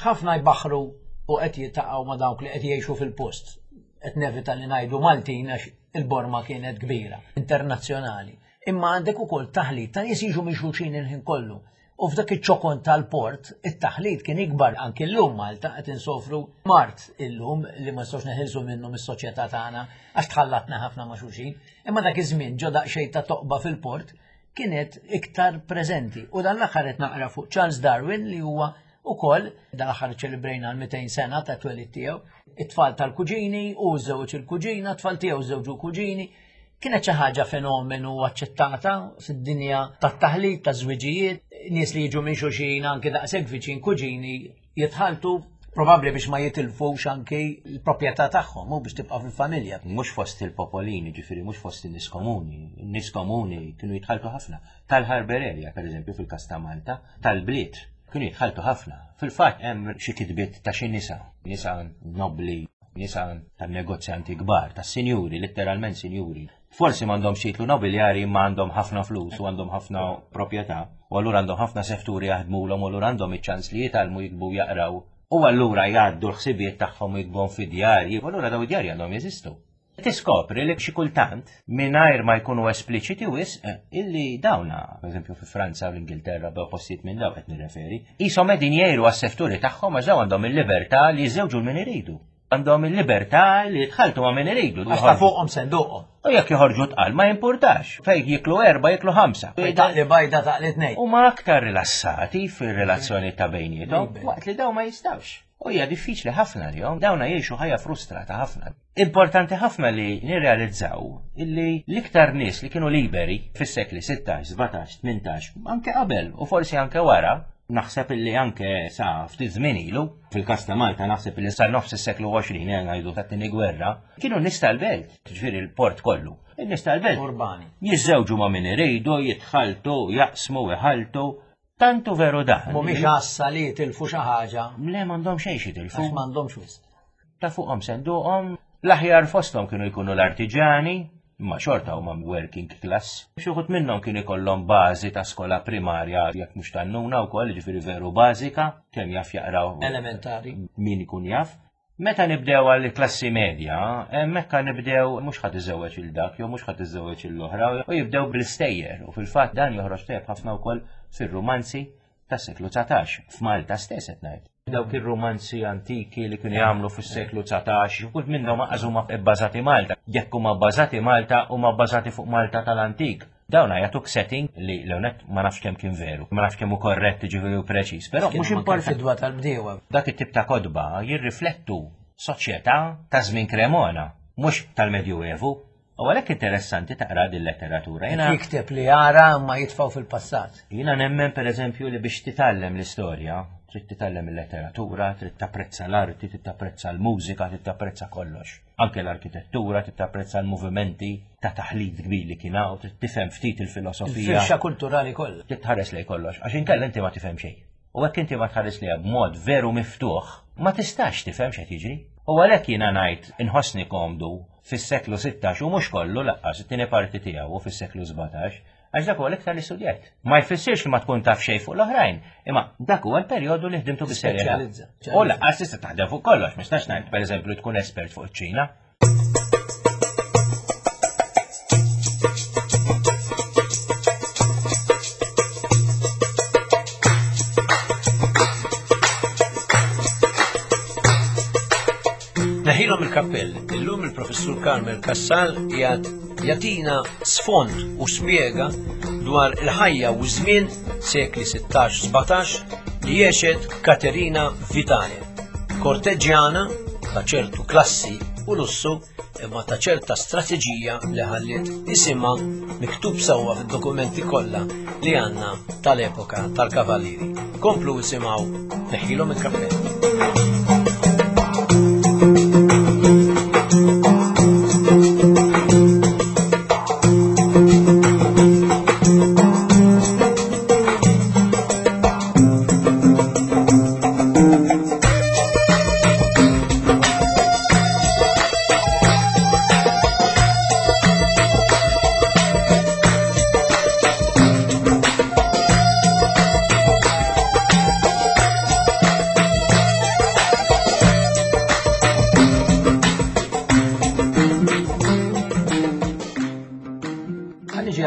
ħafna jbaħħru u qed jiltaqgħu ma' dawk li qed jgħixu fil-post. Qed nevita li ngħidu Maltin għax il-borma kienet kbira, internazzjonali. Imma għandek ukoll taħlit ta' nies jiġu minn xulxin il-ħin kollu. U f'dak iċ-ċokon tal-port, it-taħlit kien ikbar anki llum Malta qed insofru mart illum li ma nistgħux neħilsu minnu mis-soċjetà tagħna għax tħallatna ħafna ma' xulxin. Imma dak iż-żmien ġo daqsxejn ta' toqba fil-port kienet iktar preżenti. U dan l-aħħar qed naqra fuq Charles Darwin li huwa ukoll dan l-aħħar ċelebrejna l-200 sena ta' twelid tiegħu, it-tfal tal-kuġini u żewġ il-kuġina, tfal tiegħu żewġu kuġini. Kienet xi ħaġa fenomenu aċċettata fid-dinja tat-taħlit, taż-żwiġijiet, nies li jiġu minn xulxin anke daqshekk viċin kuġini jitħaltu probabbli biex ma jitilfux anki l-proprjetà tagħhom u biex tibqa' fil-familja. Mhux fost il-popolini, ġifieri mhux fost in-nies komuni. In-nies komuni kienu jitħaltu ħafna. Tal-Harbour area, pereżempju, fil-każ ta' Malta, tal-bliet. Kienu jitħalltu ħafna. Fil-fatt hemm xi kitbiet ta' xi nisa, nisa nobbli, nisa ta' negozjanti kbar, ta' sinjuri, letteralment sinjuri. Forsi m'għandhomx titlu nobiljari imma għandhom ħafna flus u għandhom ħafna proprjetà u allura għandhom ħafna sefturi jaħdmulhom u allura għandhom iċ-ċans li jitgħallmu jiktbu jaqraw u allura jgħaddu l-ħsibijiet tagħhom u jiktbuhom fi djarji u allura daw id-djarji għandhom jeżistu. Tiskopri li xi kultant, mingħajr ma jkunu espliċiti wisq, illi dawna, pereżempju fi Franza u l-Ingilterra bew postijiet minn daw qed nirreferi, qishom qegħdin jgħiru għas-sefturi tagħhom għax daw għandhom il-libertà li jiżżewġu l min iridu. Għandhom il-libertà li jitħalltu ma' min iridu. Għax ta' fuqhom senduqhom. U jekk joħorġu tqal ma jimpurtax. Fejn jiklu erba' jiklu ħamsa. Fejn taqli bajda taqli tnejn. Huma aktar rilassati fir-relazzjoni ta' bejniethom waqt li daw ma jistgħux. U hija diffiċli ħafna għalihom, dawna jgħixu ħajja frustrata ħafna. Importanti ħafna li nirrealizzaw illi l-iktar nies li kienu liberi fis-sekli 16, 17, 18, anke qabel u forsi anke wara, naħseb illi anke sa ftit żmien ilu, fil-każ ta' Malta naħseb illi sa nofs is-seklu 20 eh, ngħidu tat-tieni gwerra, kienu nies tal-belt, ġifieri l-port kollu. In-nies tal-belt. Urbani. Jiżżewġu ma' min iridu, jitħaltu, jaqsmu, iħaltu, Tant hu veru dan. Mhumiex għassa li jitilfu xi ħaġa. Le m'għandhom xejn jitilfu. Għax m'għandhomx wisq. Ta' fuqhom senduqhom, l-aħjar fosthom kienu jkunu l-artiġani, imma xorta huma working class. Xi wħud minnhom kienu jkollhom bażi ta' skola primarja jekk mhux tan-nuna wkoll, jiġifieri veru bażika, kemm jaf jaqraw. Elementari. Min ikun jaf. Meta nibdew għal klassi medja, hemmhekk nibdew mhux ħadd iżewweġ il dak jew mhux ħadd iżewweġ il-oħra u jibdew bl-istejjer u fil-fatt dan joħroġ tajjeb ħafna wkoll fir-rumanzi tas-seklu 19 f'Malta stess qed ngħid. Dawk ir-rumanzi antiki li kienu jagħmlu fis-seklu 19, kull minnhom aqas huma bbażati Malta. Jekk huma bbażati Malta, huma bbażati fuq Malta tal-antik. Dawn jagħtuk setting li l-ewnet ma nafx kemm kien veru, ma nafx kemm hu korrett ġifieri u preċiż, però mhux importanti. Fidwa tal-bdiewa. Dak it-tip ta' kotba jirriflettu soċjetà ta' żmien Cremona, mhux tal-Medjuevu. U għalhekk interessanti taqra din letteratura. Jiena jikteb li jara ma jitfgħu fil-passat. Jiena nemmen pereżempju li biex titgħallem l-istorja, trid titgħallem il-letteratura, trid tapprezza l-arti, trid tapprezza l-mużika, trid tapprezza kollox. Anke l-arkitettura, trid tapprezza l-movimenti ta' taħlit kbir li kien hawn, trid tifhem ftit il-filosofija. Il-firxa kulturali kollha. Trid tħares lejn kollox, għax inkella inti ma tifhem xejn. U hekk inti ma tħares lejha b'mod veru miftuħ, ma tistax tifhem x'qed jiġri. U għalhekk jiena ngħid inħossni komdu fis-seklu 16 u mhux kollu laqqas it-tieni parti tiegħu u fis-seklu 17, Għax dak huwa l-iktar li studjajt. Ma jfissirx li ma tkun taf xejn fuq l-oħrajn, imma dak huwa l-perjodu li ħdimtu bis-serjetà. U laqqas tista' taħdem fuq kollox, ma nistax ngħid pereżempju tkun espert fuq iċ-Ċina. Neħilhom il-kappell, illum il-professur Carmel Kassal jgħat Jagħtina sfond u spjega dwar il-ħajja u żmien sekli 16-17 li għexet Katerina Vitale, korteġġjana ta' ċertu klassi u lussu imma ta' ċerta strateġija li ħalliet isimha miktub sewwa fid-dokumenti kollha li għandna tal-epoka tal-Kavallieri. Komplu isimgħu neħilhom il-kappell.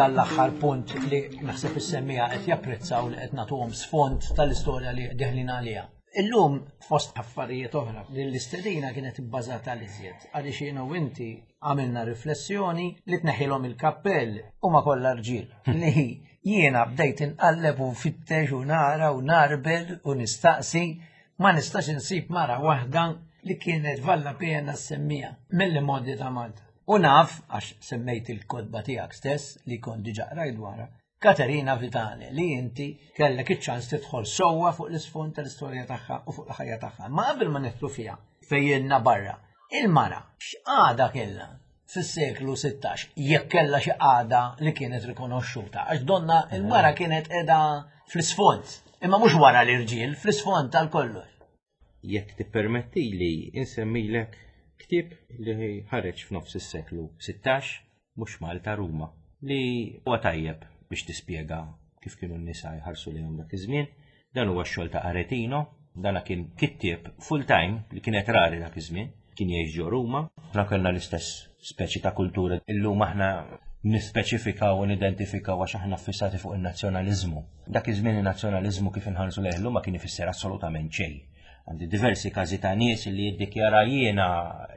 Għall-aħħar punt li naħseb is-semmija qed japprezzaw li qed nagħtuhom sfond tal-istorja li deħlin għaliha. Illum fost affarijiet oħra li l-istedina kienet ibbażata l-iżjed għaliex jiena u inti għamilna riflessjoni li tneħħilhom il-kappell huma kollha rġiel li jiena bdejt inqalleb u nfittex u nara u narbel u nistaqsi ma nistax insib mara waħda li kienet valla pena semmija mill-modi ta' Malta. U naf, għax semmejt il-kodba tiegħek stess li kont diġa qrajt dwarha, Katerina Vitale li inti kellek iċ-ċans tidħol sewwa fuq l-isfond tal-istorja tagħha u fuq il-ħajja tagħha. Ma qabel ma nidħlu fiha fejjilna barra, il-mara x'qagħda kellha fis-seklu 16 jekk kellha xi qagħda li kienet rikonoxxuta għax donna il-mara kienet qiegħda fl-isfond. Imma mhux wara l-irġiel, fl-isfond tal-kollox. Jekk tippermettili insemmilek ktieb li ħareġ f'nofs is-seklu 16, mhux Malta Ruma, li huwa tajjeb biex tispjega kif kienu n-nisa jħarsu lejhom dak iż-żmien. Dan huwa x-xogħol ta' Aretino, dana kien kittieb full-time li kienet rari dak iż-żmien, kien jgħix ġo Ruma. Aħna kellna l-istess speċi ta' kultura. Illum aħna nispeċifikaw u nidentifikaw għax aħna ffissati fuq in-nazzjonaliżmu. Dak iż-żmien in-nazzjonaliżmu kif inħarsu lejh illum ma kien ifisser assolutament xejn. Għandi diversi każi ta' nies li jiddikjara jiena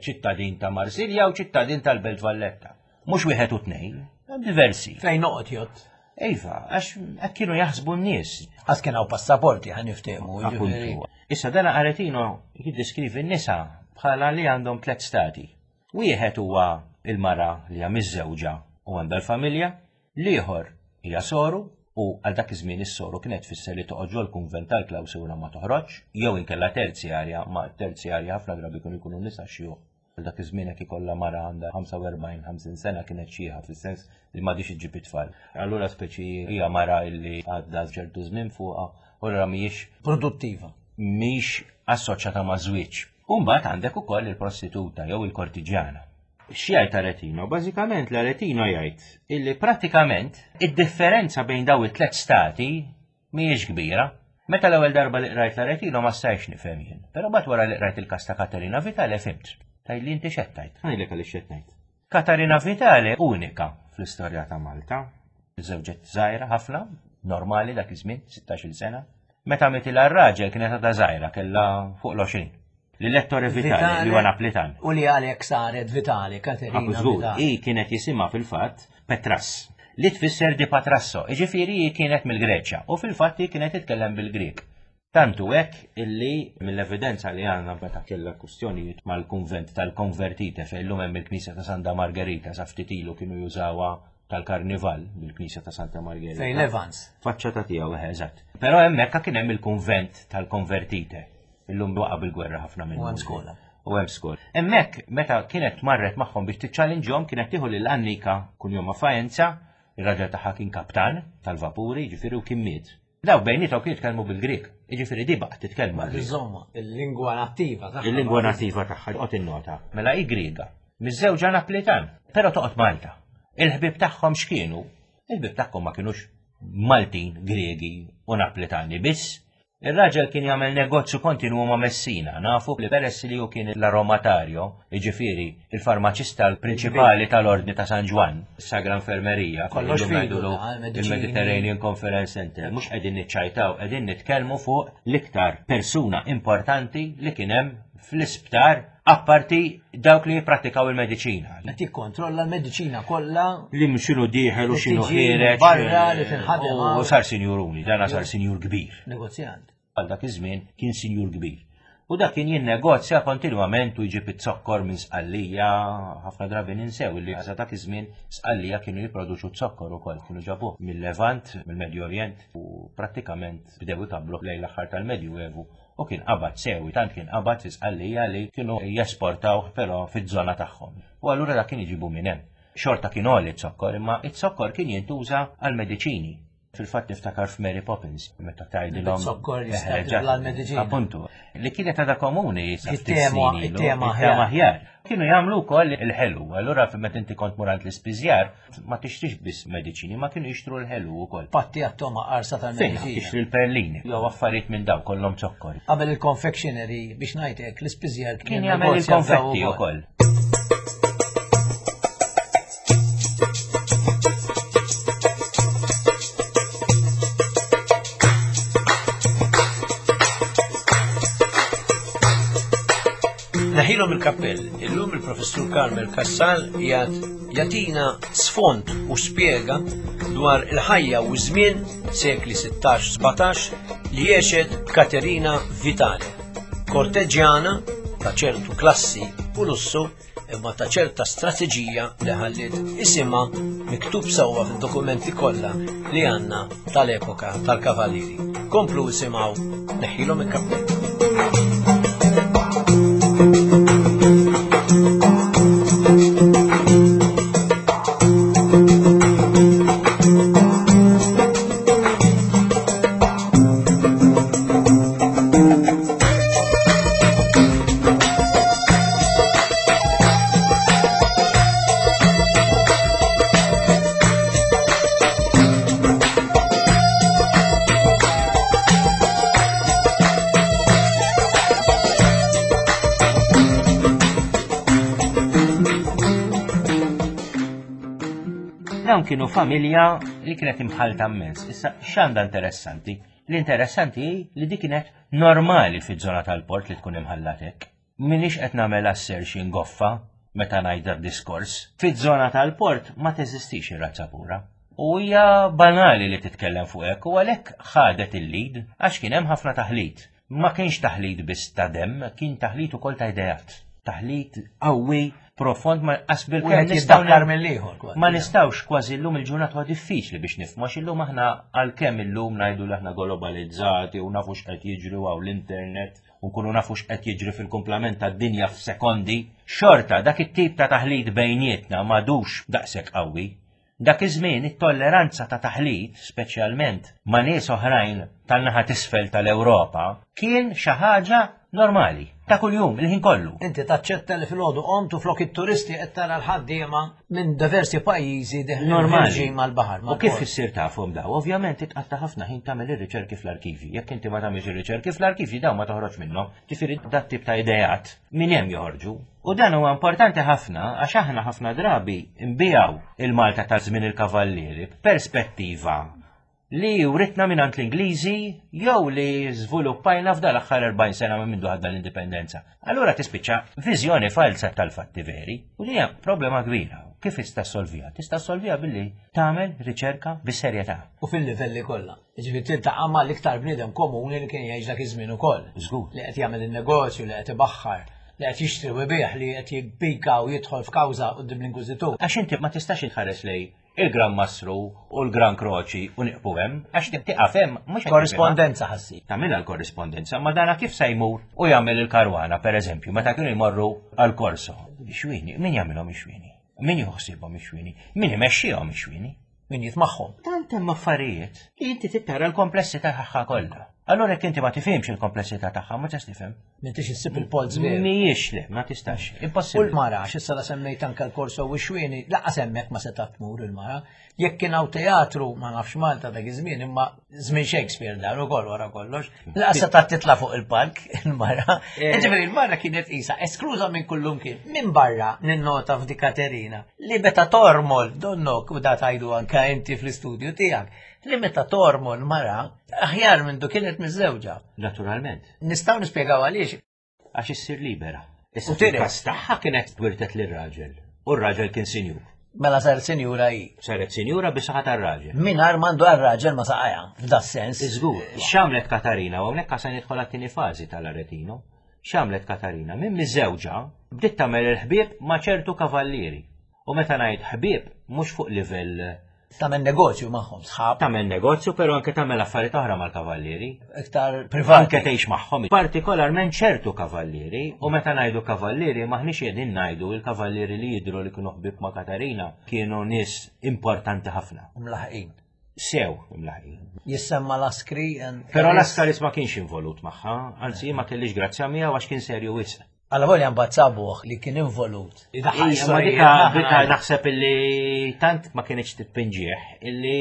ċittadin ta' Marsilja u ċittadin tal-Belt Valletta. Mhux wieħed u tnejn, diversi. Fejn noqgħod jgħod. Iva, għax hekk kienu jaħsbu n-nies. Għas kien hawn passaporti ħa niftehmu. Appuntu. Issa dana Aretino jiddeskrivi n-nisa bħala li għandhom tliet stati. Wieħed huwa il-mara li hija miżżewġa u għandha l-familja, l-ieħor hija soru u għal dak iż-żmien is-soru kienet tfisser li toqgħod ġol-kunvent tal-klawsura ma toħroġx, jew inkella terzjarja, ma terzjarja ħafna drabi kienu jkunu nisa xjuħ. Għal dak iż-żmien hekk ikollha mara għandha 45-50 sena kienet xieħa fis-sens li m'għadhiex iġġib it-tfal. Allura speċi hija mara li għadda ċertu żmien fuqha u allura mhijiex produttiva. Mhix assoċjata ma' żwieġ. U mbagħad għandek ukoll il-prostituta jew il-kortiġjana. X'jgħid Aretino? Bażikament l-Aretino jgħid illi prattikament id-differenza bejn daw it-tliet stati mhijiex kbira. Meta l-ewwel darba li qrajt l-Aretino ma stajtx nifhem jien, però mbagħad wara li qrajt il-każ ta' Katerina Vitale fhimt. Tgħidli inti x'qed tgħid? Ngħidlek għaliex x'qed ngħid. Katarina Vitale unika fl-istorja ta' Malta. Żewġet żgħira ħafna, normali dak iż-żmien, 16-il sena. Meta mitilha r-raġel kienet għadha żgħira, kellha fuq l-20. Lil Ettore Vitale, li huwa Naplitan. U li għalhekk saret Vitale, Katerina Vitale. Hi kienet jisimha fil-fatt Petras, li tfisser di Patrasso, jiġifieri hi kienet mill-Greċja u fil-fatt hi kienet titkellem bil-Grieg. Tant hu hekk illi mill-evidenza li għandna meta kellha kwistjonijiet mal-kunvent tal-Convertite fejn illum hemm il-Knisja ta' Santa Margherita sa ftit ilu kienu jużawha tal-Karnival bil-Knisja ta' Santa Margherita. Fejn Evans. Faċċata tiegħu eħe eżatt. Però hemmhekk kien hemm il-kunvent tal-Convertite. Illum waqa' bil-gwerra ħafna minnu. U hemm skola. U hemm skola. Hemmhekk meta kienet marret magħhom biex tiċċalinġhom kienet tieħu lil Annika kunjomha Faenza, ir-raġel tagħha kien kaptan tal-vapuri, jiġifieri u kien miet. Daw bejniethom kienu jitkellmu bil-Grieg, jiġifieri di baqgħet titkellem mal-Grieg. Insomma, il-lingwa nattiva tagħha. Il-lingwa nattiva tagħha, qod innota. Mela hi Griega, miżżewġa Naplitan, però toqgħod Malta. Il-ħbieb tagħhom x'kienu? Il-ħbieb tagħhom ma kinux Maltin, Griegi u Naplitani biss, Ir-raġel kien jagħmel negozju kontinwu ma' Messina, nafu li peress li hu kien l-aromatario, jiġifieri il-farmaċista l-prinċipali tal-Ordni ta' San Ġwann, Sagra Infermerija, Kollox illum fidu, ngħidulu mediċini. il-Mediterranean Conference Center, mhux qegħdin niċċajtaw, qegħdin nitkellmu fuq l-iktar persuna importanti li kien hemm fl-isptar apparti dawk li jipprattikaw il-mediċina. Qed jikkontrolla l-mediċina kollha. Li x'inhu dieħel u x'inhu ħiereġ. Barra li tinħadem. U sar sinjuruni, dana sar sinjur kbir. Negozjant. Għal dak iż-żmien kien sinjur kbir. U dak kien jinnegozja kontinwament u jġib iz-zokkor minn Sqallija, ħafna drabi ninsew li sa dak iż-żmien Sqallija kienu jipproduċu zokkor ukoll, kienu ġabuh mill-Levant, mill-Medju Orjent u prattikament bdew ikabbru lejn l-aħħar tal-Medju Evu u kien qabad sewi, tant kien qabad fi Sqallija li kienu jesportawh però fiż-żona tagħhom. U allura dak kien iġibu minn hemm. Xorta kien għoli z-zokkor, imma z-zokkor kien jintuża għall-mediċini. Fil-fatt niftakar f'Mary Poppins, meta tgħidilhom. Zokkor jista' għall-mediċini. Appuntu, li kienet għadha komuni It-tema it-tema aħjar. Kienu jagħmlu wkoll il-ħelu, allura meta inti kont murant l-ispiżjar, ma tixtrix biss mediċini, ma kienu jixtru l-ħelu wkoll. Patti għat-toma qarsa tal-mediċini. Tixtri l-perlini, jew affarijiet minn daw kollhom zokkor. Qabel il-confectionery biex ngħidlek l-ispiżjar kien jagħmel il-konfetti wkoll. Neħilhom il-kappell, illum il-Professur Carmel Cassar jgħat jagħtina sfond u spjega dwar il-ħajja u żmien sekli 16-17 li għexet Katerina Vitale, korteġjana ta' ċertu klassi u lussu imma ta' ċerta strateġija li ħalliet isimha miktub sewwa fid-dokumenti kollha li għandna tal-epoka tal-Kavallieri. Komplu isimgħu neħħilhom il-kappell. Dawn kienu familja li kienet imħalta immens. Issa x'għandha interessanti? L-interessanti hi li dik kienet normali fiż-żona tal-port li tkun imħallat hekk. M'iniex qed nagħmel assertion goffa meta ngħid dad-diskors. Fiż-żona tal-port ma teżistix ir-razza pura. U hija banali li titkellem fuq hekk u għalhekk ħadet il-lead għax kien hemm ħafna taħlit. Ma kienx taħlit biss ta' demm, kien taħlit ukoll ta' ideat. Taħlit qawwi, profond ma qas bil-kemm nistgħu mill-ieħor. Ma nistgħux kważi llum il-ġurnata huwa diffiċli biex nifhmu għax illum aħna għalkemm illum ngħidu li aħna globalizzati u nafu x'qed jiġri hawn l-internet u nkunu nafu x'qed jiġri fil-kumplament tad-dinja f'sekondi, xorta dak it-tip ta' taħlit bejnietna m'għadux daqshekk qawwi. Dak iż-żmien it-tolleranza ta' taħlit, speċjalment ma' nies oħrajn tan-naħa t'isfel tal-Ewropa, kien xi ħaġa normali, ta' kuljum, il-ħin kollu. Inti taċċetta li filgħodu qomt u flok it-turisti qed tara l-ħaddiema minn diversi pajjiżi deħlin ħerġin mal-baħar. U kif issir tafhom daw? Ovvjament titqatta' ħafna ħin tagħmel ir-riċerki fl-arkivji. Jekk inti ma tagħmilx ir-riċerki fl-arkivji dawn ma toħroġ minnhom. Ġifieri dat tip ta' ideat minn hemm joħorġu. U dan huwa importanti ħafna għax aħna ħafna drabi nbijaw il-Malta ta' żmien il-Kavallieri b'perspettiva li writna mingħand l-Ingliżi jew li żviluppajna f'dan l-aħħar 40 sena minn mindu ħadna l-indipendenza. Allura tispiċċa viżjoni falsa tal-fatti veri u li hija problema kbira. Kif tista' ssolviha? Tista' ssolviha billi tagħmel riċerka bis-serjetà. U fil-livelli kollha. Jiġifieri tiltaqa' mal-iktar bniedem komuni li kien jgħix dak iż-żmien ukoll. Żgur. Li qed jagħmel in-negozju, li qed ibaħħar, li qed jixtri u jbigħ, li qed jippika u jidħol f'kawża quddiem l-Inkwiżitur. Għax inti ma tistax inħares lejn il-Gran Mastru u l-Gran Kroċi u nieqfu hemm, għax tieqaf hemm mhux Korrispondenza ħassib. Tagħmilha l-korrispondenza, ma dana kif se jmur u jagħmel il-karwana, pereżempju, meta kienu jmorru għall-korso. Ix-xwieni, min jagħmilhom ix-xwieni? Min jieħu ħsiebhom ix-xwieni? Min imexxihom ix-xwieni? Min jitmagħhom. Tant hemm affarijiet li inti trid tara l-komplessità tagħha kollha. Allura jekk inti ma tifhimx il-komplessità tagħha ma tistax tifhem. M'intix issib il-polz veru. Mhijiex le, ma tistax. Impossibbli. U l-mara, għax issa la semmejt anke l-korso u x-xwieni, laqas hemmhekk ma setgħet tmur il-mara. Jekk kien hawn teatru, ma nafx Malta dak iż-żmien, imma żmien Shakespeare dan ukoll wara kollox, laqas setgħet titla' fuq il-palk il-mara. Eh. Ġifieri il-mara kienet qisha eskluża minn kullum kien. Minn barra ninnota f'di Katerina li meta tormol donnok u da tajdu anke inti fl-istudju tiegħek, li meta tormol mara aħjar minn du kienet miżżewġa. Naturalment. Nistgħu nispjegaw għaliex. Għax issir libera. Issa fil-każ tagħha kienet wirtet lir-raġel u r-raġel kien sinjur. Mela saret sinjura hi. Saret sinjura bi saħħa tar-raġel. Mingħajr m'għandu għar-raġel ma saqajha f'da sens. Iżgur, x'għamlet Katarina u hawnhekk se nidħol għat-tieni fażi tal-Aretino. X'għamlet Katarina? Minn miżewġa bdiet tagħmel il-ħbieb ma' ċertu kavallieri. U meta ngħid ħbieb mhux fuq livell Tagħmel negozju magħhom, sħab. Tagħmel negozju, però anke tagħmel affarijiet oħra mal-kavallieri. Iktar privat. Anke tgħix magħhom. Partikolarment ċertu kavallieri, u meta ngħidu kavallieri maħniex qegħdin ngħidu il-kavallieri li jidhru li kienu ħbieb ma' Katarina kienu nies importanti ħafna. Mlaħqin. Sew imlaħqin. Jissemma Laskri. Però Laskaris ma kienx involut magħha, anzi ma kellix grazzja miegħu għax kien serju wisq. Alla volja mbagħad sabuh li kien involut. Ija, dika dika naħseb illi tant ma kienx titpinġieħ illi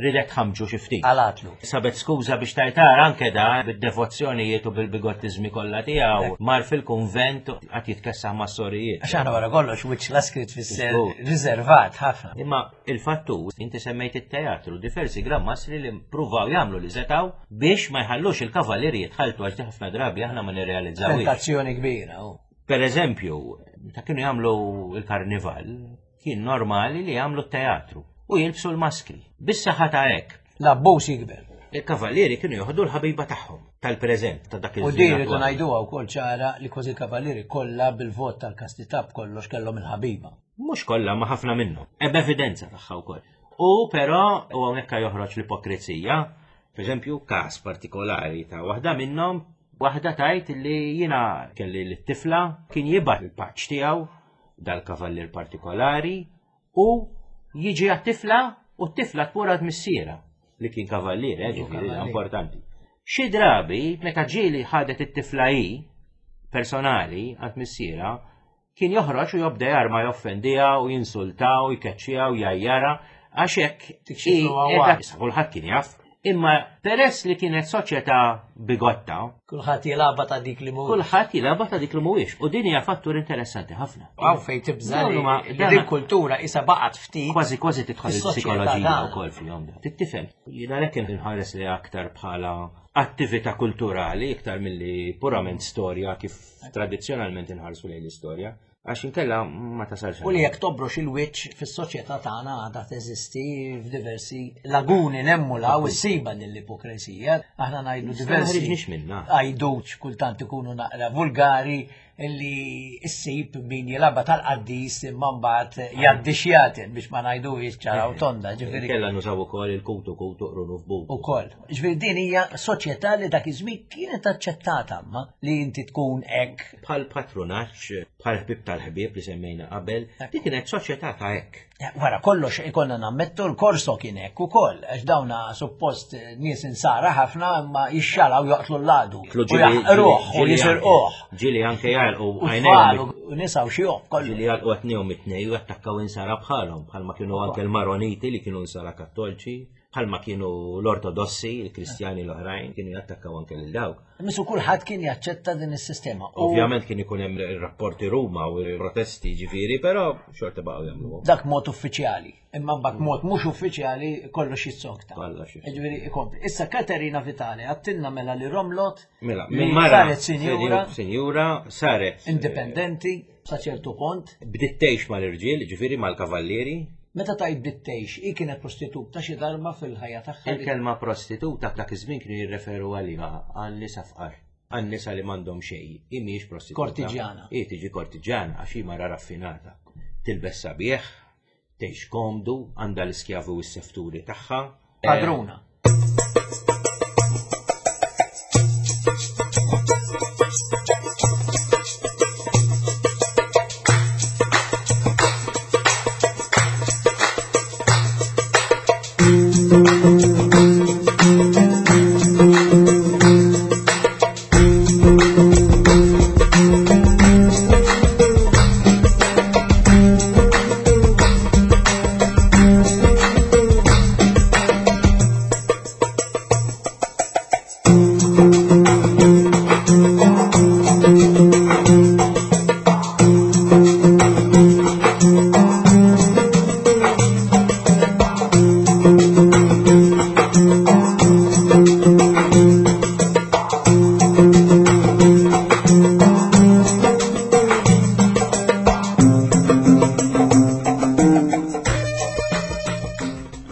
ridet ħamġu xi ftit. Għalatlu. Sabet skuża biex tajtar anke da bid-devozzjonijiet u bil-bigottiżmi kollha tiegħu mar fil-kunvent qatt jitkessaħ mas-sorijiet. Għax aħna wara kollox wiċċ la skritt fisser riservat ħafna. Imma il-fattu inti semmejt it-teatru diversi Gran Mastri li pruvaw jagħmlu li setgħu biex ma jħallux il-kavallieri jitħalltu għax ħafna drabi aħna ma nirrealizzawx. Tentazzjoni kbira. Oh. Per eżempju, ta' kienu jagħmlu il-karnival, kien normali li jagħmlu t-teatru u jilbsu l-maskri. Bis-saħħa ta' hekk. L-abbuż jikber. Il-kavallieri kienu joħdu l-ħabiba tagħhom tal-preżent ta' dak il U din rridu ngħiduha wkoll ċara li kważi l-kavallieri kollha bil-vot tal-kastità b'kollox kellhom il-ħabiba. Mhux kollha, ma ħafna minnhom. Hemm evidenza tagħha wkoll. U però u hawnhekk joħroġ l-ipokrizija, pereżempju każ partikolari ta' waħda minnhom, waħda tajt li jiena kelli l-tifla kien jibgħat il-paċ tiegħu dal-kavallier partikolari u jiġi għat-tifla u t-tifla tmur għad missiera li kien kavallier, eh, ġifieri importanti. Xi drabi meta ġieli ħadet it-tifla hi personali għand missiera, Kien joħroġ u jobda jarma joffendiha u jinsulta u jkeċċiha u jgħajjarha għax hekk issa kulħadd kien jaf. Imma peress li kienet soċjetà bigotta. Kulħadd jilgħabha ta' dik li mhuwiex. Kulħadd jilgħabha ta' dik li mhuwiex. U din hija fattur interessanti ħafna. Hawn fejn tibża' li din kultura isa baqgħet ftit. Kważi kważi tidħol il-psikoloġija wkoll fihom. Tittifhem. Jiena għalhekk inħares li aktar bħala attività kulturali iktar milli purament storja kif tradizzjonalment inħarsu lejn l-istorja. Għax inkella ma tasalx. U li jekk tobrox il-wiċċ fis-soċjetà tagħna għadha teżisti f'diversi laguni nemmula u ssiba din l-ipokresija. Aħna ngħidu diversi. minna. Għajduċ kultant ikunu naqra vulgari li ssib min jilaba tal-qaddis imma mbagħad jgħaddi xjaten biex ma ngħidu ċara u tonda. Ġifieri. Kella nużaw ukoll il-kutu kutu qrunu f'butu. Ukoll. Ġifieri din hija soċjetà li dak iż-żmien kienet aċċettata ma li inti tkun hekk Bħal patrunaġġ, bħal ħbieb tal-ħbieb li semmejna qabel, dik kienet soċjetà ta' hekk. Eh, wara kollox ikonna nammettu l-korso kien hekk ukoll, għax dawna suppost nies insara ħafna imma jixxalaw joqtlu l-ladu. U jaħqruh u jisirquh. Ġieli anke jgħalqu għajnejhom. U nisa u xi kollu. Ġieli jgħalqu għatnihom it-tnej u jattakkaw insara bħalhom, bħalma kienu anke l-Maroniti li kienu insara kattolċi. Bħalma kienu l-Ortodossi, il-Kristjani l-oħrajn, kienu jattakkaw anke lil dawk. Misu kulħadd kien jaċċetta din is-sistema. Ovvjament kien ikun hemm rapporti Ruma u protesti ġifieri, però xorta baqgħu jagħmlu. Dak mod uffiċjali, imma mbagħad mod mhux uffiċjali kollox jissokta. Kollox. Ġifieri ikompli. Issa Katerina Vitale għattilna mela li Romlot Mela, minn mara saret sinjura, sinjura saret indipendenti sa ċertu punt. Bdiet tgħix mal-irġiel, ġifieri mal-kavallieri. Meta tgħid bdiet tgħix, hi kienet prostituta xi darba fil-ħajja tagħha. Il-kelma prostituta dak iż-żmien kienu jirreferu għaliha għal nisa fqar, għal nisa li m'għandhom xejn. Hi mhijiex prostituta. Kortiġjana. Hi tiġi kortiġjana għax hi mara raffinata. Tilbes sabiħ, tgħix komdu, għandha l-iskjavi u s-sefturi tagħha. Padruna.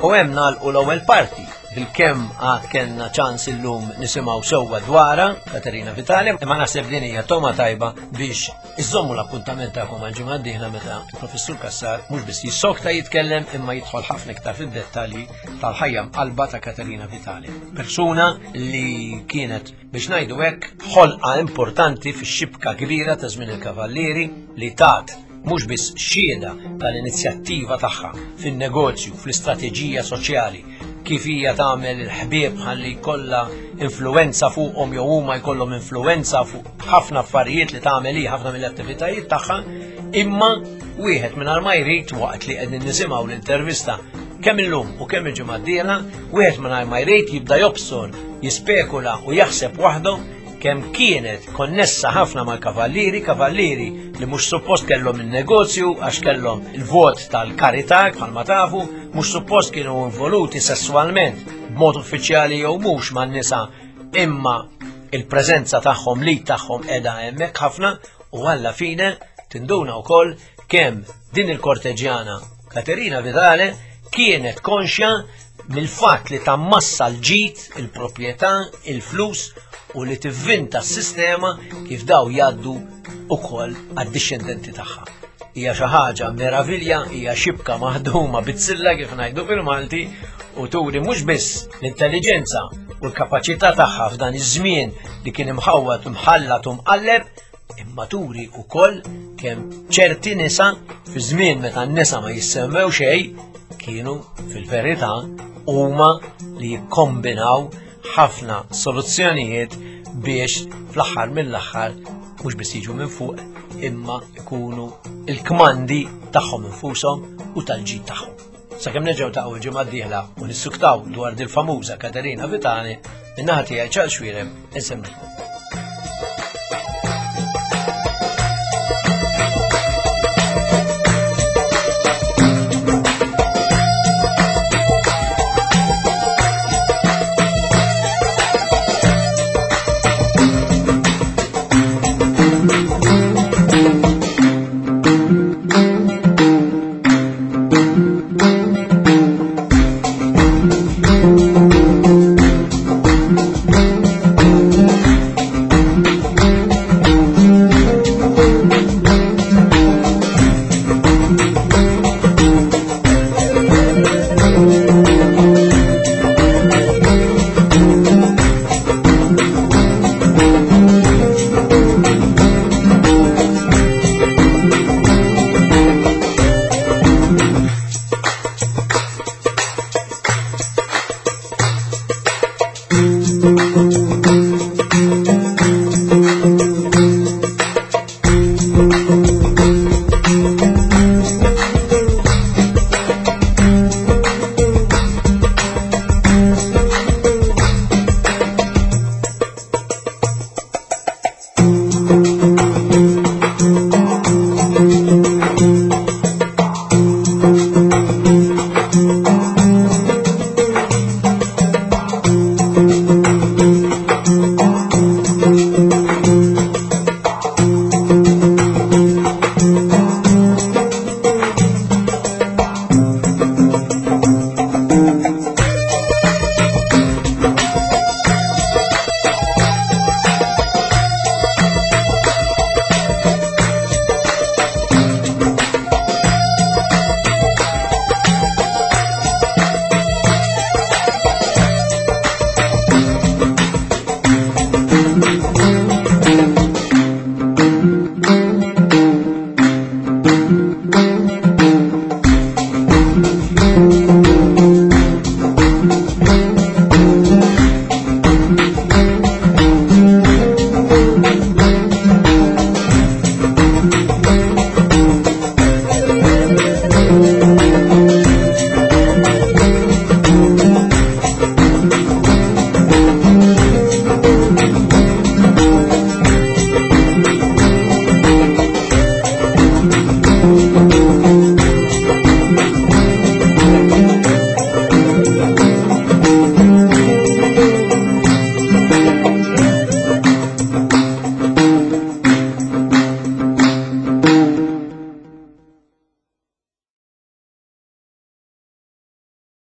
U hemm nagħlqu l-ewwel parti bil-kemm għad kellna ċans illum nisimgħu sewwa dwarha Katerina Vitali, imma naħseb din hija toma tajba biex iżommu l-appuntament tagħkom għal ġimgħa d-dieħla meta il-Professur Cassar mhux biss jissokta jitkellem imma jidħol ħafna iktar fid-dettalji tal-ħajja mqalba ta' Katerina Vitali. Persuna li kienet biex ngħidu hekk ħolqa importanti fix-xibka kbira ta' żmien il-Kavallieri li tat mhux biss xhieda tal-inizjattiva tagħha fin-negozju, fl-istrateġija soċjali, kif hija tagħmel il-ħbieb ħalli jkollha influwenza fuqhom jew huma jkollhom influwenza fuq ħafna affarijiet li tagħmel hi ħafna mill-attivitajiet tagħha, imma wieħed mingħajr ma jrid waqt li qegħdin nisimgħu l-intervista kemm illum u kemm il-ġimgħa d-dieħla, wieħed mingħajr ma jrid jibda jobsor, jispekula u jaħseb waħdu kemm kienet konnessa ħafna mal-kavallieri, kavallieri li mhux suppost kellhom il-negozju għax kellhom il-vot tal-karità bħalma tafu, mhux suppost kienu involuti sesswalment b'mod uffiċjali jew mhux man-nisa imma il-preżenza tagħhom li tagħhom qiegħda hemmhekk ħafna u alla fine tinduna wkoll kemm din il-korteġjana Katerina Vidale kienet konxja mill-fatt li tammassa l-ġid, il-proprjetà, il-flus u li tivvinta s-sistema kif daw jgħaddu ukoll għad-dixxendenti tagħha. Hija xi ħaġa meravilja, hija xibka maħduma bizzilla kif ngħidu fil-Malti u turi mhux biss l-intelliġenza u l-kapaċità tagħha f'dan iż-żmien li kien imħawwad imħallat u mqalleb, imma turi wkoll kemm ċerti nisa fi żmien meta n-nisa ma jissemmew xejn kienu fil-verità huma li jikkombinaw ħafna soluzzjonijiet biex fl-aħħar mill-aħħar mhux biss jiġu minn fuq imma ikunu il-kmandi tagħhom infushom u tal-ġid tagħhom. Sakemm nerġgħu taqgħu l-ġimgħa d-dieħla u nissuktaw dwar dil-famuża Katerina Vitali, min-naħa tiegħi Charles Xuereb insemmilkom.